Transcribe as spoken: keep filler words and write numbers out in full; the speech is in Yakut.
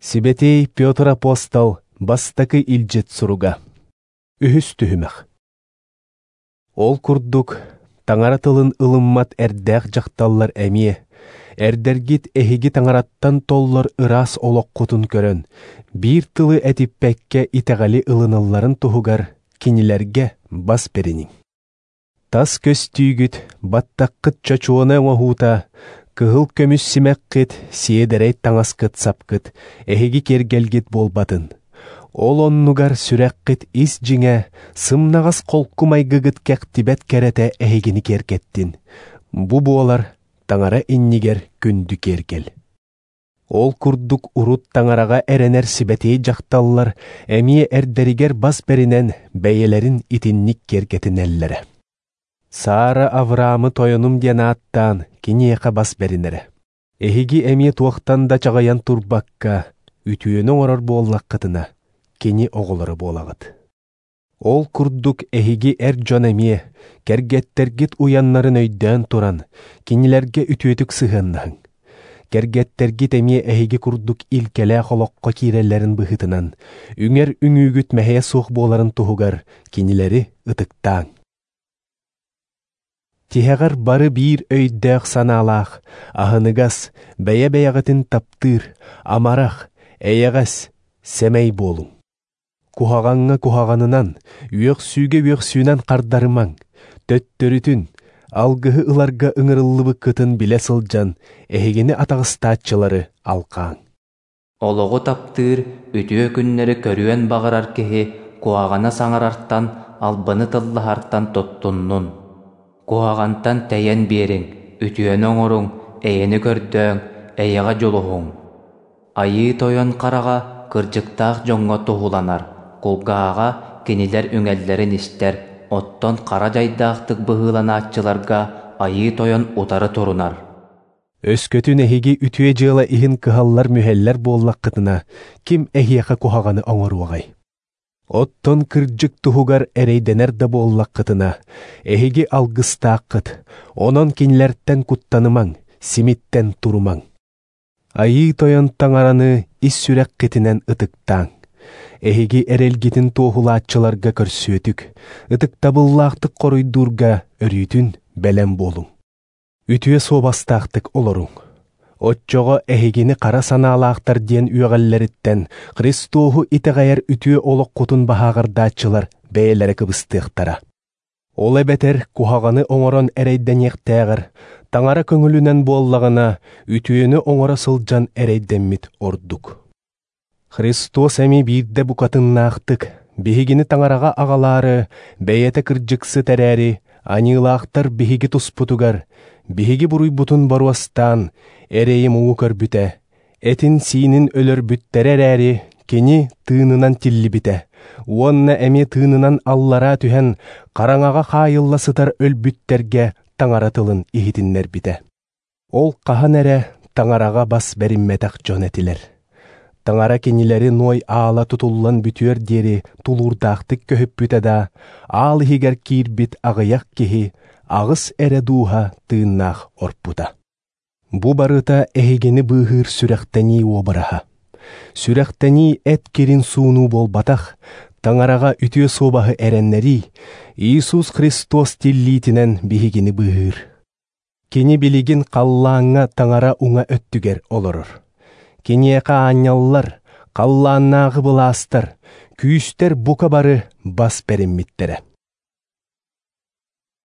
Сибэтиэй Петр апостол бастакы илдьит суруга. Үһүс түһүмэх. Ол курдук, таҥара тылын ылыммат эрдээх дьахталлар эмиэ, эрдэргит эһиги таҥараттан толлор ыраас олоххутун көрөн, биир тылы этиппэккэ итэҕэли ылыналларын туһугар кинилэргэ бас бэриниҥ. Тас көстүүгүт, баттаххыт чочуона оҥоһуута, кыһыл көмүс симэххит, сиэдэрэй таҥаскыт сапкыт, эһиги киэргэлгит буолбатын. Ол оннугар сүрэххит ис дьиҥэ, сымнаҕас холку майгыгыт кэхтибэт кэрэтэ эһигини киэркэттин. Бу буолар таҥара иннигэр күндү киэргэл. Ол курдук урут таҥараҕа эрэнэр сибэтиэй дьахталлар эмиэ эрдэригэр бас бэринэн бэйэлэрин итинник киэргэтинэллэрэ. Сара Авраамы тойонум диэн ааттаан киниэхэ бас бэринэрэ. Эһиги эмиэ туохтан да чаҕыйан турбакка, үтүөнү оҥорор буоллаххытына, кини оҕолоро буолаҕыт. Ол курдук эһиги эр дьон эмиэ, кэргэттэргит уйаннарын өйдөөн туран, кинилэргэ үтүөтүк сыһыаннаһыҥ. Кэргэттэргит эмиэ эһиги курдук илкэлээх олоххо киирэллэрин быһыытынан, үҥэр үҥүүгүт мэһэйэ суох буоларын туһугар кинилэри ытыктааҥ. Тиһэҕэр бары биир өйдөөх санаалаах, аһыныгас, бэйэ-бэйэҕитин таптыыр, амарах, эйэҕэс, сэмэй буолуҥ. Куһаҕаҥҥа куһаҕанынан, үөхсүүгэ үөхсүүнэн хардарымаҥ, төттөрүтүн, алгыһы ыларга ыҥырыллыбыккытын билэ сылдьан, эһигини атаҕастааччылары алҕааҥ. Олоҕу таптыыр, үтүө күннэри көрүөн баҕарар киһи куһаҕаны саҥарартан, албыны тыллаһартан туттуннун. Куһаҕантан тэйэн биэриҥ, үтүөнү оҥоруҥ, эйэни көрдөөҥ, эйэҕэ дьулуһуҥ. Айыы Тойон хараҕа кырдьыктаах дьоҥҥо туһуланар, кулгааҕа кинилэр үҥэллэрин истэр, оттон хара дьайдаахтык быһыыланааччыларга Айыы Тойон утары турунар. Өскөтүн эһиги үтүө дьыала иһин кыһаллар-мүһэллэр буоллаххытына, ким эһиэхэ куһаҕаны оҥоруоҕай? Оттон кырдьык туһугар эрэйдэнэр да буоллаххытына, эһиги алгыстааххыт, онон кинилэртэн куттанымаҥ, симиттэн турумаҥ. Айыы Тойон таҥараны ис сүрэххитинэн ытыктааҥ. Эһиги эрэлгитин туоһулааччыларга көрсүөтүк, ытыктабыллаахтык хоруйдуурга өрүүтүн бэлэм буолуҥ. Үтүө суобастаахтык олоруҥ. Оччоҕо эһигини хара санаалаахтар диэн үөҕэллэриттэн Христоһу итэҕэйэр үтүө олоххутун баһааҕырдааччылар бэйэлэрэ кыбыстыахтара. Ол эбэтэр куһаҕаны оҥорон эрэйдэниэхтээҕэр, таҥара көҥүлүнэн буоллаҕына, үтүөнү оҥоро сылдьан эрэйдэммит ордук. Христос эми биирдэ букатыннаахтык, биһигини таҥараҕа аҕалаары, бэйэтэ кырдьыксыт эрээри, аньыылаахтар биһиги туспутугар, биһиги буруйбутун боруостаан, эрэйи муҥу көрбүтэ, этин-сиинин өлөрбүттэрэ эрээри, кини тыынынан тиллибитэ, уонна эмиэ тыынынан аллараа түһэн, хараҥаҕа хаайылла сытар өлбүттэргэ таҥара тылын иһитиннэрбитэ. Ол хаһан эрэ таҥараҕа бас бэриммэтэх дьон этилэр. Таҥара кинилэри Ной аала тутуллан бүтүөр диэри тулуурдаахтык көһүппүтэ да, аал иһигэр киирбит аҕыйах киһи аҕыс эрэ дууһа тыыннаах орпута. Бу барыта эһигини быыһыыр сүрэхтэнии уобараһа. Сүрэхтэнии эт кирин суунуу буолбатах, таҥараҕа үтүө суобаһы эрэннэрии, Иисус Христос тиллиитинэн биһигини быыһыыр. Кини билигин халлааҥҥа таҥара уҥа өттүгэр олорор. Киниэхэ аанньаллар, халлааннааҕы былаастар, күүстэр бука бары бас бэриммиттэрэ.